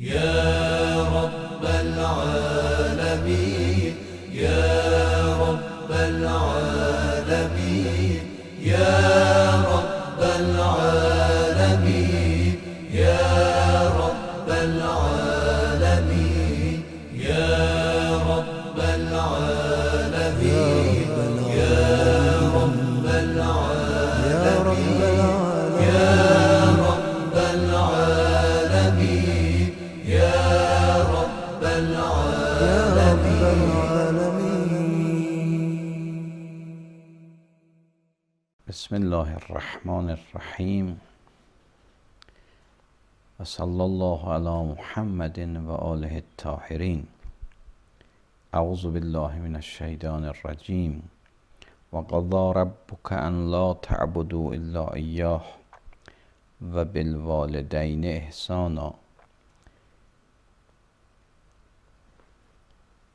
يا رب العالمين يا رب العالمين يا رب العالمين يا رب العالمين يا رب العالمين يا رب العالمين يا رب العالمين يا رب العالمين. بسم الله الرحمن الرحیم و صلی الله علی محمد و آله الطاهرین. اعوذ بالله من الشیطان الرجیم و قضى ربک ان لا تعبدوا الا ایاه و بالوالدین احسانا.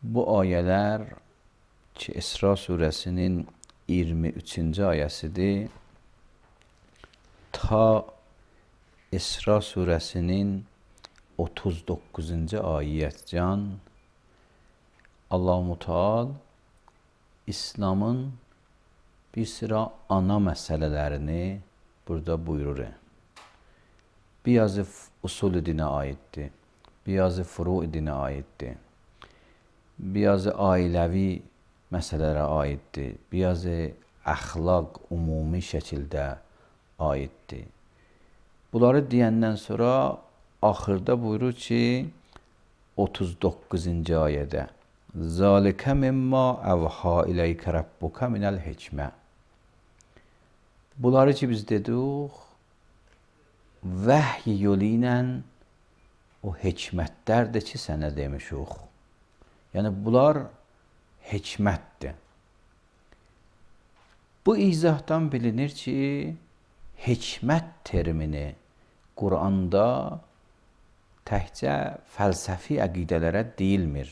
Bu ayələr ki, İsra surəsinin 23-cü ayəsidir, ta İsra surəsinin 39-cu ayətcan Allah-u Teala İslamın bir sıra ana məsələlərini burada buyurur. Birazı usul dinə aiddir, birazı furu dinə aiddir, birazı ailəvi məsələlərə aiddir, birazı əxlaq ümumi şəkildə aiddir. Bunları deyəndən sonra axırda buyurur ki, 39-cu ayədə Zalikə mimma əvha iləykə rabbuka minəl hikmə. Bunları ki biz dedik, vəhy yolu ilə o hikmətlərdir ki sənə demişik. Yəni bunlar hikmətdir. Bu izahdan bilinir ki, hikmət termini Quranda təkcə fəlsəfi əqidələrə deyilmir.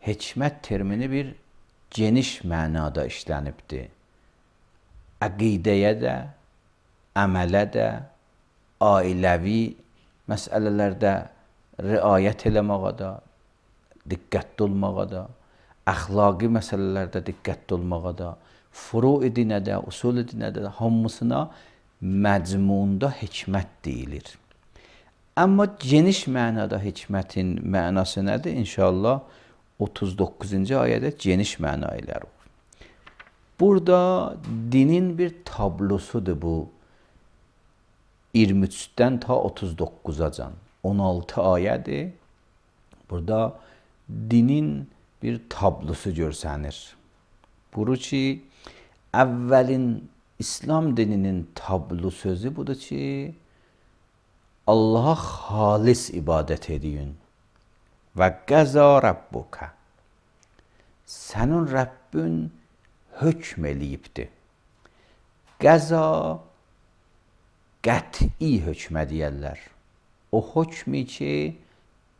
Hikmət termini bir geniş mənada işlənibdir. Əqidəyə də, əmələ də, ailəvi məsələlərdə riayət eləməyə də, diqqətli olmağa da, əxlaqi məsələlərdə diqqətli olmağa da, furu dinə də, usul dinə də, hamısına məcmunda hikmət deyilir. Amma geniş mənada hikmətin mənası nədir? İnşallah 39-cu ayədə geniş məna ilə. Burada dinin bir tablosudur bu. 23-dən ta 39-acan 16 ayədir. Burada dinin bir tablosu görsənir. Buyurur ki, əvvəlin İslam dininin tablo sözü budur ki, Allaha xalis ibadət ediyin və qəza rabbuka. Sənin Rəbbin hökm eləyibdir. Qəza qəti hökmə deyərlər. O hökmü ki,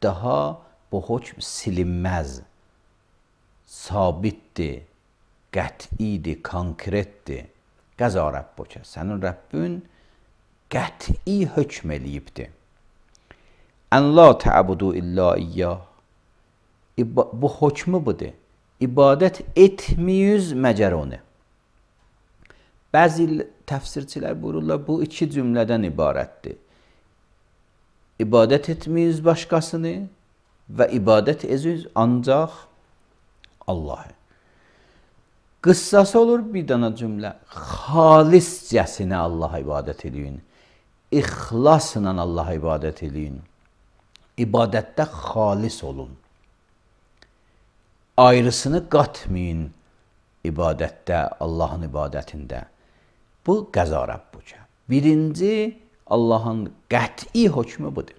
daha bu hökm silinməz, sabitdir, qətidir, konkretdir. Qəza Rabbuka, sənin Rəbbin qəti hökm eləyibdir. Ən la tə'budu illa iyyah. Bu hökmü budur. İbadət etməyiz məgər onu. Bəzi təfsirçilər buyururlar, bu iki cümlədən ibarətdir. İbadət etməyiz başqasını və ibadət edirik ancaq Allah'a. Qıssası olur bir dana cümlə. Xaliscəsinə Allah'a ibadət edin. İxlasla Allah'a ibadət edin. İbadətdə xalis olun. Ayrısını qatmayın ibadətdə, Allahın ibadətində. Bu qəza Rabbuka. Birinci Allahın qəti hökmü budur.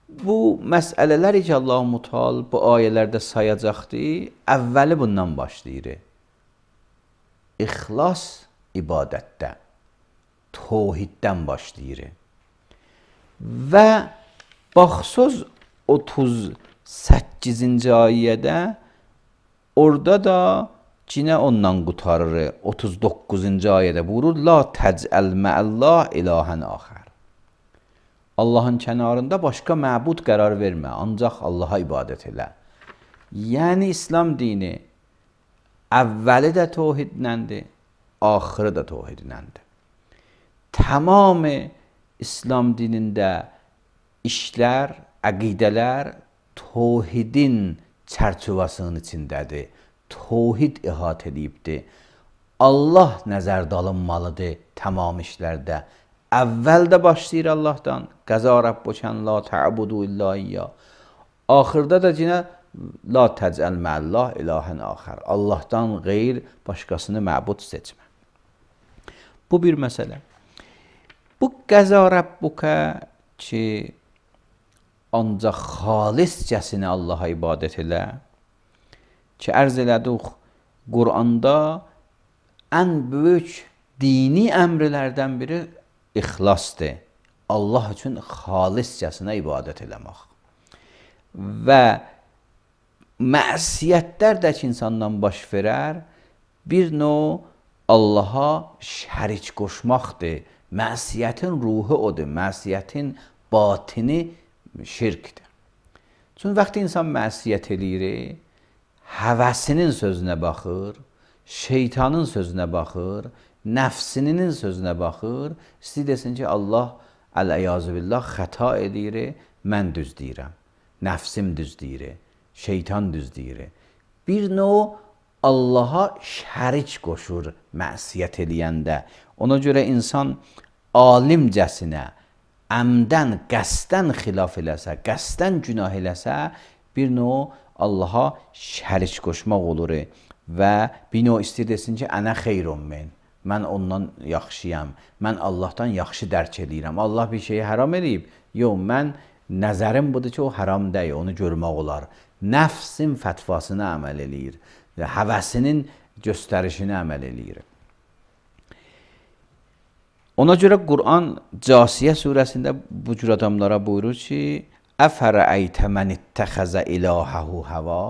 Bu məsələlər ki, Allah-u Teala bu ayələrdə sayacaqdır, əvvəli bundan başlayır. İxlas ibadətdə, təvhiddən başlayır. Və baxsız 38-ci ayədə, orada da Cinə ondan qutarır. 39-cu ayədə buyurur: La təcəl məəllah ilahən axər. Allahın kənarında başqa məbud qərar vermə, ancaq Allaha ibadət elə. Yəni İslam dini əvvəli də təvhidləndir, axırı da təvhidləndir. Tamam İslam dinində işlər, əqidələr təvhidin çərçivəsinin içindədir. Təvhid əhatə edibdir. Allah nəzərdə alınmalıdır tamam işlərdə. Əvvəldə başlayır Allahdan. Qəza Rabbukan la ta'budu illa iyyah. Axırda da yenə la təcəl məllah ilahən axər. Allahdan qeyr başqasını məbud seçmə. Bu bir məsələ. Bu qəza Rabbuka ki, ancaq xaliscəsinə Allaha ibadət elə ki, ərz elədik, Quranda ən böyük dini əmrlərdən biri ixlasdır. Allah üçün xaliscəsinə ibadət eləmək. Və məsiyətlər də ki, insandan baş verər, bir növ Allaha şərik qoşmaqdır. Məsiyətin ruhu odur, məsiyətin batini şirkdir. Çünki vaxtı insan məsiyət eləyir, həvəsinin sözünə baxır, şeytanın sözünə baxır, nəfsinin sözünə baxır, istəyir desin ki, Allah əl-əyyazü billah xəta edir, mən düz deyirəm, nəfsim düz deyir, şeytan düz deyir. Bir növ Allaha şərik qoşur məsiyət eləyəndə. Ona görə insan alimcəsinə, əmdən, qəsdən xilaf eləsə, qəsdən günah eləsə, bir növ Allaha şərik qoşmaq olur və bir növ istəyir desin ki, ənə xeyrun min. Mən ondan yaxşıyam, mən Allahdan yaxşı dərk edirəm. Allah bir şeyi haram edib. Yox, mən nəzərim budur ki, o haram deyil, onu görmək olar. Nəfsin fətvasına əməl eləyir, həvəsinin göstərişini əməl eləyir. Ona görə Quran Casiyə surəsində bu cür adamlara buyurur ki, əfərəəytə mən ittəxəzə ilahəhu həva.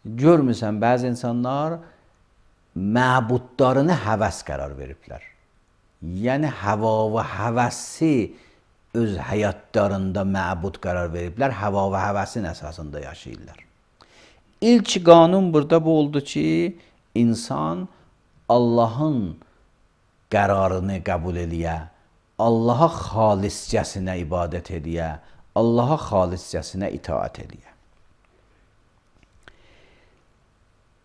Görmüsən, bəzi insanlar məbudlarını həvəs qərar veriblər. Yəni, həva və həvəsi öz həyatlarında məbud qərar veriblər, həva və həvəsin əsasında yaşayırlar. İlk qanun burada bu oldu ki, insan Allahın qərarını qəbul eləyə, Allaha xaliscəsinə ibadət eləyə, Allaha xaliscəsinə itaat eləyə.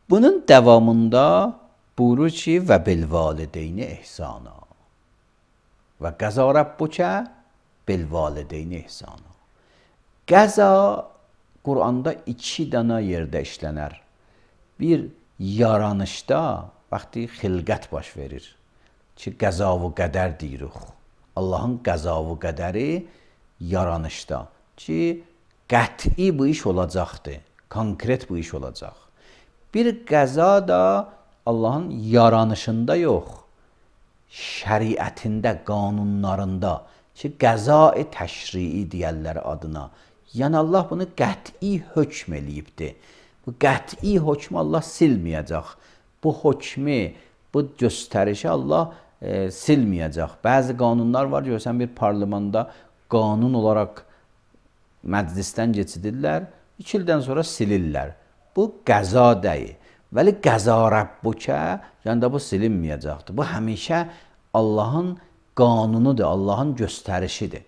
Bunun davamında buyurur ki, və bilvalideyni ihsana. Və qəza Rabbukə bilvalideyni ihsana. Qəza Quranda 2 dənə yerdə işlənər. Bir, yaranışda, vaxtı xilqət baş verir ki, qəza və qədər deyirik. Allahın qəza və qədəri yaranışda ki, qəti bu iş olacaqdır, konkret bu iş olacaq. Bir qəza da Allahın yaranışında yox, şəriətində, qanunlarında ki, qəza-i təşrii deyərlər adına. Yəni, Allah bunu qəti hökm eləyibdir. Bu qəti hökmü Allah silməyəcək. Bu hökmü, bu göstərişi Allah silməyəcək. Bəzi qanunlar var, görsən bir parlamentda qanun olaraq məclisdən keçidirlər, 2 ildən sonra silirlər. Bu qəza deyil. Vəli qəza Rabbukə, yəni da bu silinməyəcəkdir. Bu həmişə Allahın qanunudur, Allahın göstərişidir.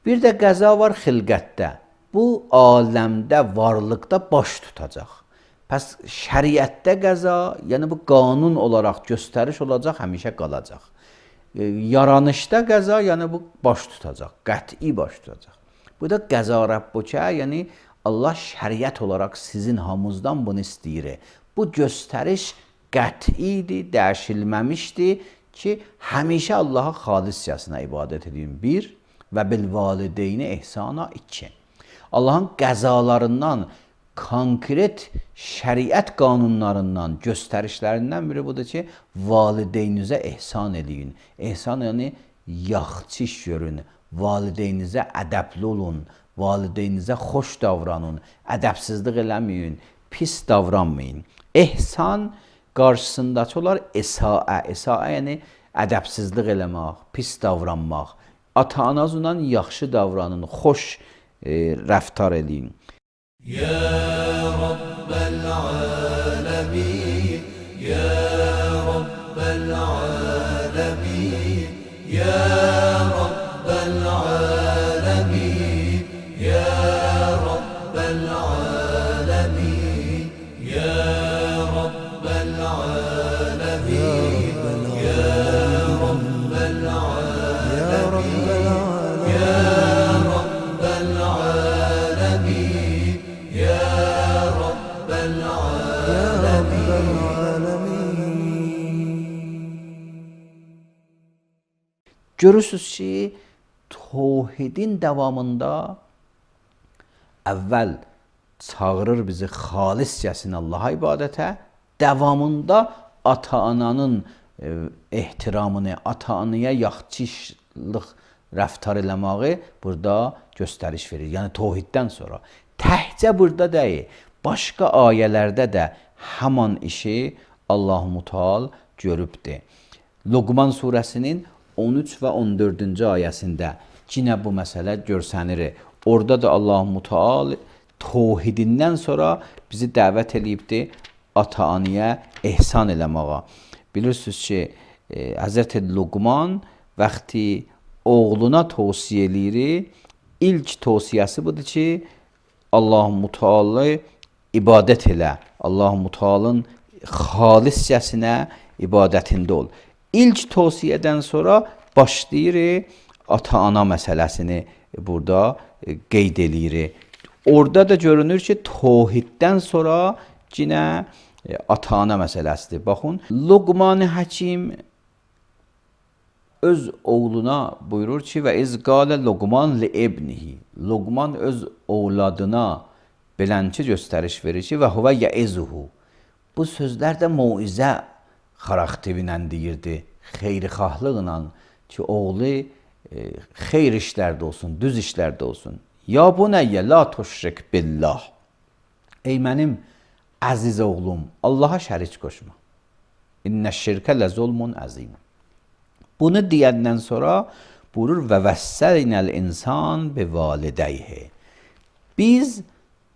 Bir də qəza var xilqətdə. Bu aləmdə, varlıqda baş tutacaq. Pəs şəriətdə qəza, yəni bu qanun olaraq göstəriş olacaq, həmişə qalacaq. Yaranışda qəza, yəni bu baş tutacaq, qəti baş tutacaq. Bu da qəza Rabbukə, yəni Allah şəriət olaraq sizin hamınızdan bunu istəyir. Bu göstəriş qətidir, dəyişilməmişdir ki, həmişə Allaha xaliscəsinə ibadət edin. 1 və bilvalideyni ihsana 2. Allahın qəzalarından, konkret şəriət qanunlarından, göstərişlərindən biri budur ki, valideynizə ihsan edin. İhsan yəni yaxçı iş görün, valideynizə ədəbli olun, valideynizə xoş davranın, ədəbsizlik eləməyin, pis davranmayın. İhsan qarşısındakı olar əsaə. Əsaə yəni ədəbsizlik eləmək, pis davranmaq, ata-anazla yaxşı davranın, xoş rəftar eləyin. Ya Rabbel alemin, Ya Rabbel alemin, Ya Rabbel alemin, Ya Rabbel alemin, Ya Rabbel alemin, Ya Rabbel alemin, Ya Rabbel alemin, Ya Rabbel Görürsünüz ki, tövhidin davamında əvvəl çağırır bizi xaliscəsinə Allaha ibadətə, davamında ata-ananın ehtiramını, ata-anaya yaxçılıq rəftar eləməyi burada göstəriş verir. Yəni tövhiddən sonra. Təhcə burada deyil, başqa ayələrdə də həman işi Allah-u Teala görübdür. Luqman surəsinin 13 və 14-cü ayəsində yenə bu məsələ görsənir. Orada da Allah-u Teala tövhidindən sonra bizi dəvət edibdir ata-anaya ehsan eləməyə. Bilirsiniz ki, Həzrəti Luqman vaxtı oğluna tövsiyə eləyir, ilk tövsiyəsi budur ki, Allah-u Teala ibadət elə. Allah-u Teala'nın xaliscəsinə ibadətində ol. İlk tövsiyədən sonra başlayır ata-ana məsələsini burada qeyd eləyir. Orada da görünür ki, tövhiddən sonra yenə ata-ana məsələsidir. Baxın, Luqman Həkim öz oğluna buyurur ki, və iz qalə Luqman li ibnihi. Luqman öz oğladına belənçi göstəriş verir ki, və huvə yəizuhu. Bu sözlər də moizə xarakterinlə deyirdi, xeyrixahlıqla ki, oğlu xeyr işlərdə olsun, düz işlərdə olsun. Ya bunəyyə la tuşrik billah. Ey mənim əziz oğlum, Allaha şərik qoşma. İnnə şirkə lə zulmun əzim. Bunu deyəndən sonra buyurur və vəssəlinəl insan bi validəyhi. Biz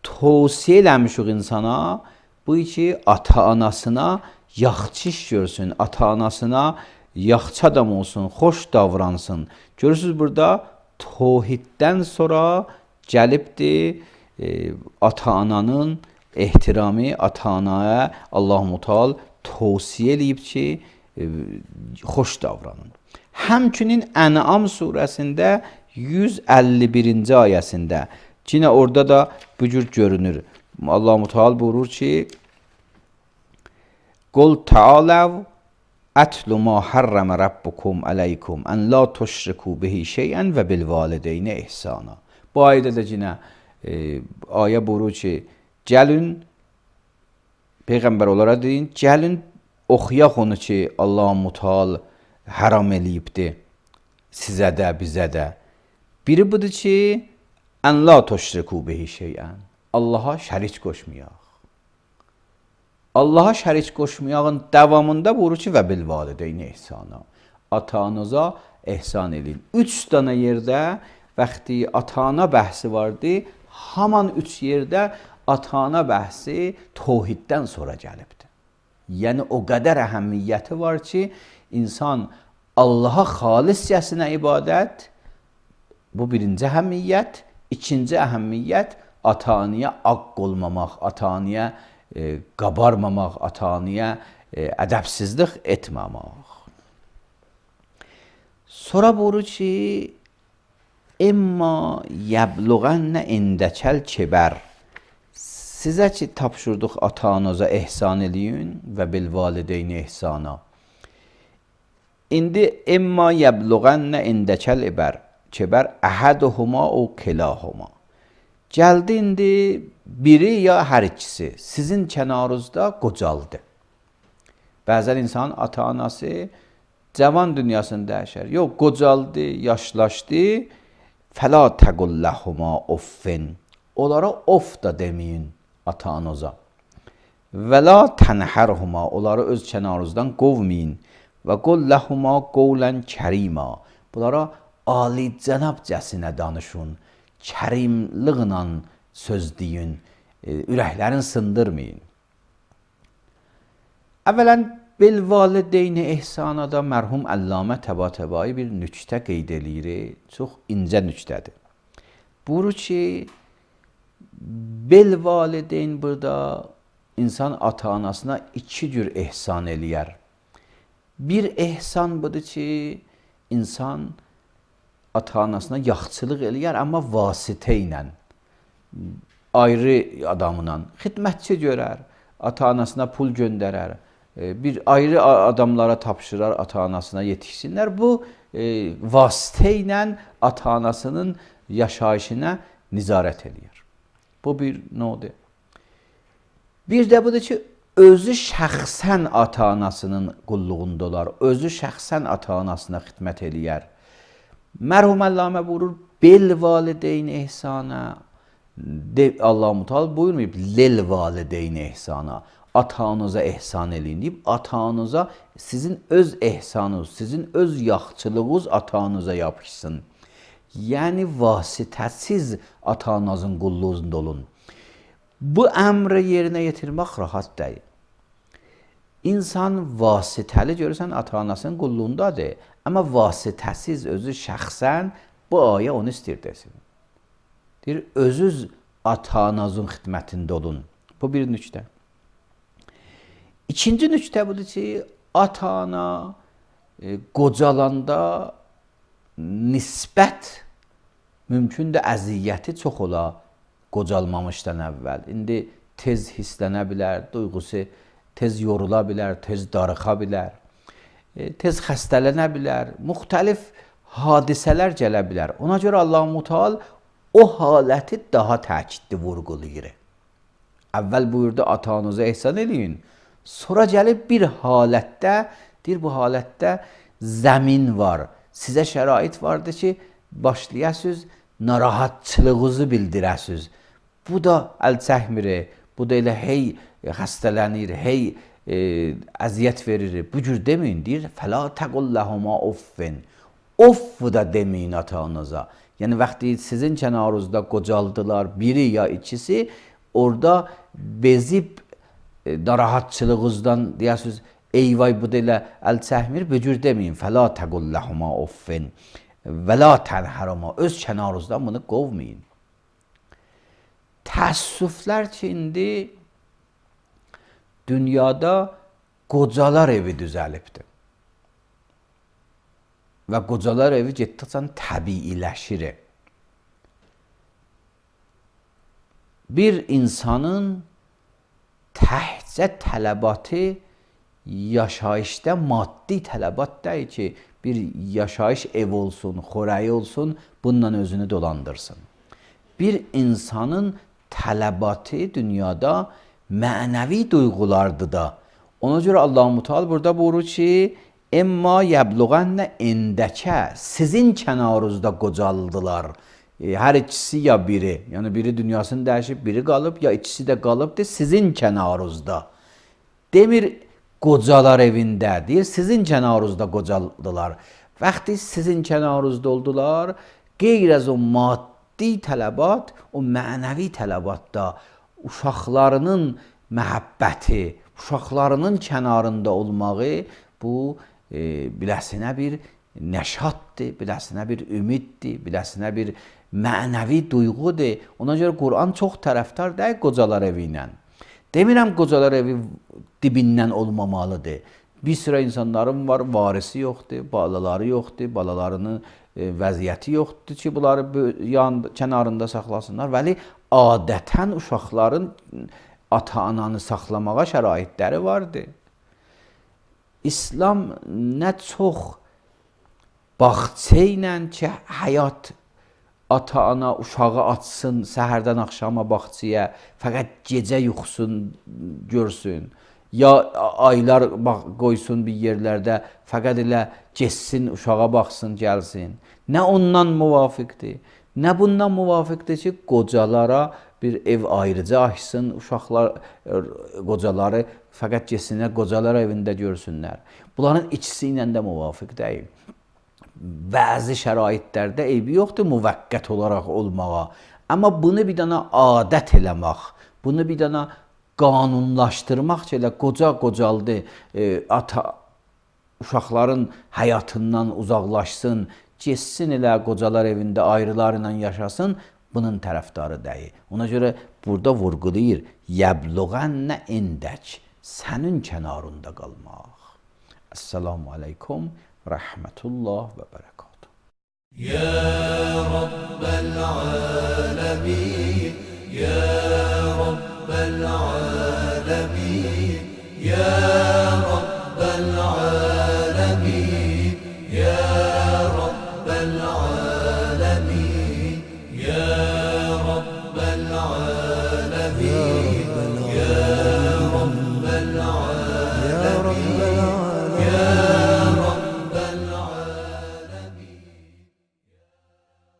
tövsiyə eləmişik insana bu ki, ata-anasına yaxçı iş görsün, ata-anasına yaxçı adam olsun, xoş davransın. Görürsünüz burada tövhiddən sonra gəlibdir ata-ananın ehtiramı, ata-anaya Allah-u Teala tövsiyə eləyib ki, xoş davranın. Həmçinin Ən'am surəsində 151-ci ayəsində yenə orada da bu cür görünür. Allah-u Teala buyurur ki, Qul ta'alav atlu ma harrama rabbukum aleykum en la tuşriku bihi şey'en və bil valideyni ihsana. Bu ayədə də yenə ayə buyurur ki, gəlin Peyğəmbər olaraq deyin, gəlin oxuyaq onu ki, Allah-u Teala haram eləyibdir sizə də, bizə də. Biri budur ki, en la tuşriku bihi şey'en. Allaha şərik qoşmayaq. Allaha şərik qoşmayağın davamında buyurur ki, və bil valideyni ihsana. Ata-anıza ehsan edin. 3 dənə yerdə vaxtı ata-ana bəhsi vardı, haman 3 yerdə ata-ana bəhsi tövhiddən sonra gəlibdir. Yəni o qədər əhəmiyyəti var ki, insan Allaha xaliscəsinə ibadət, bu birinci əhəmiyyət, ikinci əhəmiyyət ata-anaya aqq olmamaq, ata-anaya qabarmamaq, ata-anaya ədəbsizlik etməmək. Sonra buyurur ki, İmma yəbluğənnə indəkəl kibər. Sizə ki, tapşırdıq ata-anıza ehsan eləyin və bil valideyni ihsana. İndi imma yəbluğənnə indəkəl kibər əhəduhuma o kilahuma. Gəldi indi biri ya hər ikisi sizin kənarınızda qocaldı. Bəzən insan ata-anası cavan dünyasında yaşar. Yox, qocaldı, yaşlaşdı. Fəla təqulləhuma offin. Onlara of da deməyin ata-anıza. Və la tənhərhuma. Onları öz kənarınızdan qovmayın. Və qulləhuma qovlən kərima. Bunlara alicənabcəsinə danışın, kərimliqlə söz deyin, ürəklərini sındırmayın. Əvvələn, bilvalideyni ehsanada mərhum Əllamə Təbatəbai bir nüktə qeyd eləyir, çox incə nüktədir. Buyurur ki, bilvalideyn burada insan ata-anasına iki cür ehsan eləyər. Bir ehsan budur ki, insan ata-anasına yaxçılıq eləyər, amma vasitə ilə, ayrı adamla xidmətçi görər, ata-anasına pul göndərər, bir ayrı adamlara tapşırar, ata-anasına yetişsinlər. Bu, vasitə ilə ata-anasının yaşayışına nizarət eləyər. Bu bir nodur. Bir də budur ki, özü şəxsən ata-anasının qulluğunda olar, özü şəxsən ata-anasına xidmət eləyər. Mərhum Əllamə buyurur, bil valideyn ehsana, Allah-u Muteala buyurmayıb, lil valideyn ehsana, ata-anıza ehsan eləyin deyib, ata-anıza sizin öz ehsanınız, sizin öz yaxçılığınız ata-anıza yapışsın. Yəni, vasitəsiz ata-anasının qulluğunda olun. Bu əmri yerinə yetirmək rahat deyil. İnsan vasitəli görürsən, ata-anasının qulluğundadır. Amma vasitəsiz özü şəxsən bu ayə onu istəyir desin. Deyir, özünüz ata-anasının xidmətində olun. Bu bir nüktə. İkinci nüktə budur ki, ata-ana qocalanda nisbət mümkündür əziyyəti çox ola qocalmamışdan əvvəl. İndi tez hisslənə bilər, duyğusu tez yorula bilər, tez darıxa bilər, tez xəstələnə bilər, müxtəlif hadisələr gələ bilər. Ona görə Allah-u Muteala o haləti daha təkidli vurğulayır. Əvvəl buyurdu, ata-anıza ehsan eləyin. Sonra gəlib bir halətdə, deyir, bu halətdə zəmin var. Sizə şərait vardır ki, başlayasınız, narahatçılığınızı bildirəsiniz. Bu da əl çəkmir, bu da elə hey xəstələnir, hey əziyyət verir. Bu cür deməyin, deyir, fəla təqulləhuma offin. Off da deməyin ata-anıza. Yəni, vaxtı sizin kənarınızda qocaldılar, biri ya ikisi, orada bezib narahatçılığınızdan deyəsiniz, eyvay bu da elə əl çəkmir, bu cür deməyin, fəla təqulləhuma offin. Və la tənhəruma, öz kənarınızdan bunu qovmayın. Təəssüflər ki, indi dünyada qocalar evi düzəlibdir. Və qocalar evi getdikcə təbiiləşir. Bir insanın təhcə tələbatı yaşayışda maddi tələbat deyil ki, bir yaşayış ev olsun, xörəyi olsun, bununla özünü dolandırsın. Bir insanın tələbatı dünyada mənəvi duyğulardır da. Ona görə Allah-u Muteala burada buyurur ki, Emma yəbluğənnə indəkə, sizin kənarınızda qocaldılar. Hər ikisi ya biri, yəni biri dünyasını dəyişib, biri qalıb, ya ikisi də qalıbdır sizin kənarınızda. Demir, qocalar evində, deyir, sizin kənarınızda qocaldılar. Vaxtı sizin kənarınızda oldular, qeyr az o maddi tələbat, o mənəvi tələbatda uşaqlarının məhəbbəti, uşaqlarının kənarında olmağı, bu biləsinə bir nəşatdır, biləsinə bir ümiddir, biləsinə bir mənəvi duyğudur. Ona görə Quran çox tərəfdar deyil qocalar evi ilə. Demirəm, qocalar evi dibindən olmamalıdır. Bir sıra insanların var, varisi yoxdur, balaları yoxdur, balalarının vəziyyəti yoxdur ki, bunları kənarında saxlasınlar. Vəli adətən uşaqların ata-ananı saxlamağa şəraitləri vardır. İslam nə çox bağça ilə ki, həyat ata-ana uşağı açsın, səhərdən axşama bağçaya, fəqət gecə yuxusun, görsün. Ya aylar qoysun bir yerlərdə, fəqət elə geçsin, uşağa baxsın, gəlsin. Nə ondan müvafiqdir, nə bundan müvafiqdir ki, qocalara bir ev ayrıca açsın, uşaqlar, qocaları fəqət geçsinlər, qocalar evində görsünlər. Bunların ikisi ilə də müvafiq deyil. bəzi şəraitlərdə eybi yoxdur müvəqqət olaraq olmağa. Amma bunu bir dənə adət eləmək, bunu bir dənə qanunlaşdırmaq ki, elə qocaldı, ata uşaqların həyatından uzaqlaşsın, getsin elə qocalar evində ayrılarla yaşasın, bunun tərəfdarı deyil. Ona görə burada vurğulayır, yəbluğənnə indək, sənin kənarında qalmaq. Əssalamu aleykum, rəhmətullah və bərəkatuhu.